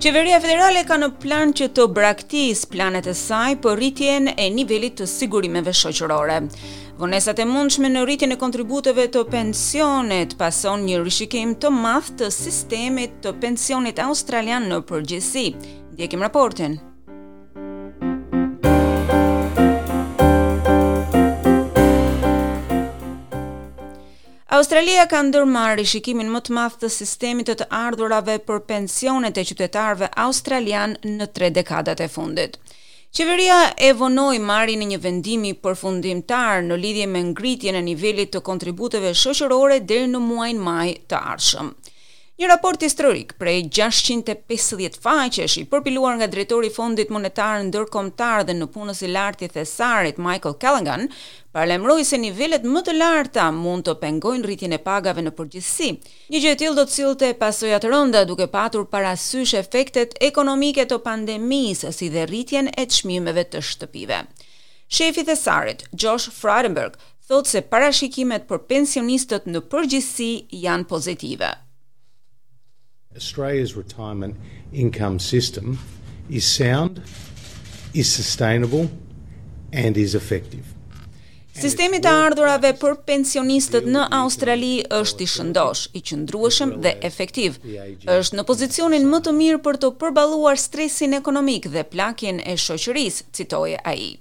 Qeveria federale ka në plan që të braktisë planet e saj për rritjen e nivelit të sigurimeve shoqërore. Vonesat e mundshme në rritjen e kontributeve të pensionit pason një rishikim të madh të sistemit të pensionit australian në përgjithësi. Ndjekim raportin. Australia ka ndërmarrë rishikimin më të madh të sistemit të të ardhurave për pensionet e qytetarëve australianë në tre dekadat e fundit. Qeveria e vonoi marrjen e një vendimi përfundimtar në lidhje me ngritjen e nivelit të kontributeve shoqërore deri në muajin maj të ardhshëm. Një raport historik prej 650 faqesh i përpiluar nga drejtori i Fondit Monetar Ndërkombëtar dhe nëpunës i lartë i Thesarit Michael Callaghan paralajmëroi se nivelet më të larta mund të pengojnë rritjen e pagave në përgjithësi. Një gjë e tillë do të sillte pasoja të rënda duke patur parasysh efektet ekonomike të pandemisë si dhe rritjen e çmimeve të shtëpive. Shefi i Thesarit, Josh Frydenberg, thotë se parashikimet për pensionistët në përgjithësi janë pozitive. Australia's retirement income system is sound, is sustainable and is effective. Sistemi i të ardhurave për pensionistët në Australi është i shëndoshë, i qëndrueshëm dhe efektiv. Është në pozicionin më të mirë për të përballuar stresin ekonomik dhe plakjen e shoqërisë, citoi ai.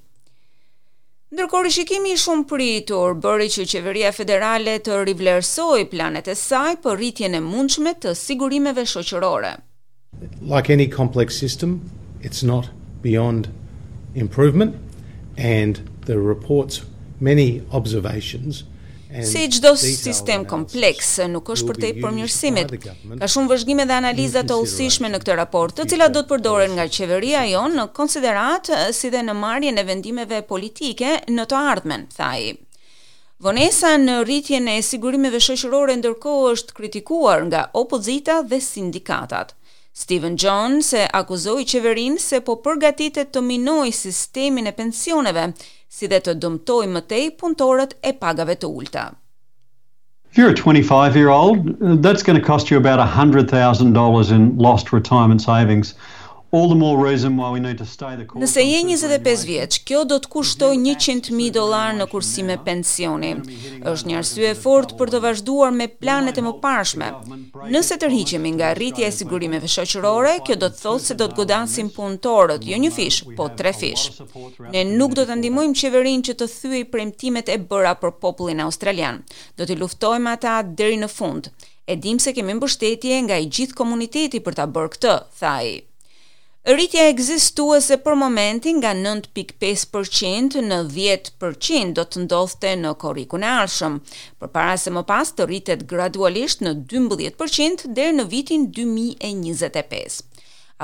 Ndërkohë rishikimi i shumëpritur bëri që qeveria federale të rivlerësojë planet e saj për rritjen e mundshme të sigurimeve shoqërore. Like any complex system, it's not beyond improvement and the report's many observations Si çdo sistem kompleks, nuk është përtej përmirësimit. Ka shumë vëzhgime dhe analiza të hollësishme në këtë raport, të cilat do të përdoren nga qeveria jonë në konsideratë si dhe në marrjen e vendimeve politike në të ardhmen, tha ai. Vonesa në rritjen e sigurimeve shoqërore ndërkohë është kritikuar nga opozita dhe sindikatat. Stephen Jones e akuzoi qeverinë se po përgatitet të minojë sistemin e pensioneve, si dhe të dëmtojë më tej punëtorët e pagave të ulëta. If you're a 25 year old, that's going to cost you about $100,000 in lost retirement savings. All the more reason why we need to stay the course. Nëse je 25 vjeç, kjo do të kushtojë 100.000 dollar në kursime pensioni. Është një arsye e fortë për të vazhduar me planet e mëparshme. Nëse tërhiqemi nga rritja e sigurimeve shoqërore, kjo do të thotë se do të godasim punëtorët, jo një fish, po tre fish. Ne nuk do të ndihmojmë qeverinë që të thyejë premtimet e bëra për popullin australian. Do t'i luftojmë ata deri në fund. E dim se kemi mbështetje nga i gjithë komuniteti për ta bërë këtë, tha ai. Rritja ekzistuese për momentin nga 9.5% në 10% do të ndodhte në korrikun e ardhshëm, përpara se më pas të rritet gradualisht në 12% deri në vitin 2025.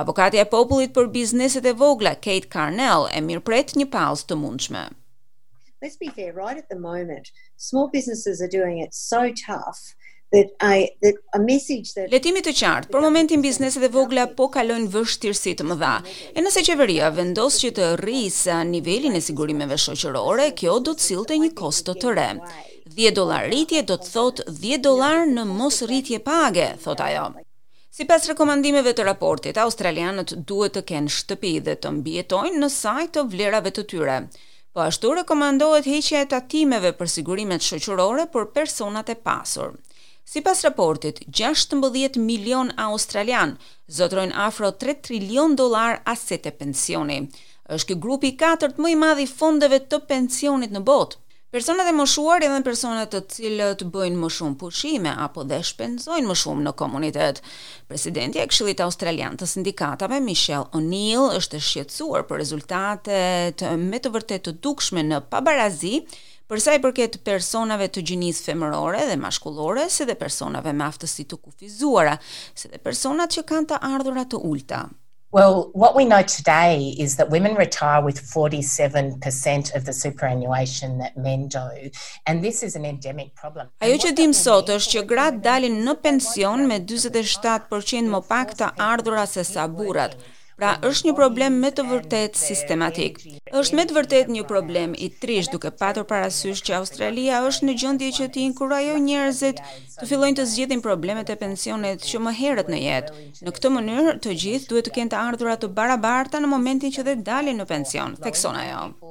Avokatja e popullit për bizneset e vogla, Kate Carnell, e mirëpret një pauzë të mundshme. Let's be fair, right at the moment, small businesses are doing it so tough that I that a message that Le të jemi të qartë, për momentin bizneset e vogla po kalojnë vështirësi të mëdha. E nëse qeveria vendos që të rrisë nivelin e sigurimeve shoqërore, kjo do të sillte një kosto të re. 10 dollar rritje do të thotë 10 dollar në mos rritje page, thotë ajo. Sipas rekomandimeve të raportit, australianët duhet të kenë shtëpi dhe të mbijetojnë në sajë të vlerave të tyre. Po ashtu rekomandohet heqja e tatimeve për sigurimet shoqërore për personat e pasur. Sipas raportit, 16 milion australian zotërojnë afro 3 trilion dollar asete pensioni. Është ky grupi i katërt më i madh i fondeve të pensionit në botë. Personat e moshuar janë personat të cilët bëjnë më shumë pushime apo dhe shpenzojnë më shumë në komunitet. Presidentja e Këshillit Australian të Sindikatave, Michelle O'Neill, është e shqetësuar për rezultatet me të vërtetë të dukshme në pabarazi për sa i përket personave të gjinisë femërore dhe mashkullore, si dhe personave me aftësi të kufizuara, si dhe personat që kanë të ardhura të ulta. Well, what we know today is that women retire with 47% of the superannuation that men do, and this is an endemic problem. Ajo që dim sot është që gratë dalin në pension me 47% më pak të ardhura se sa burrat. Pra, është një problem me të vërtetë sistematik. Është me të vërtetë një problem i trishtë duke patur parasysh që Australia është në gjendje që të inkurajojë njerëzit të fillojnë të zgjidhin problemet e pensionit që më herët në jetë. Në këtë mënyrë, të gjithë duhet të kenë të ardhura të barabarta në momentin që dhe dalin në pension, thekson ajo.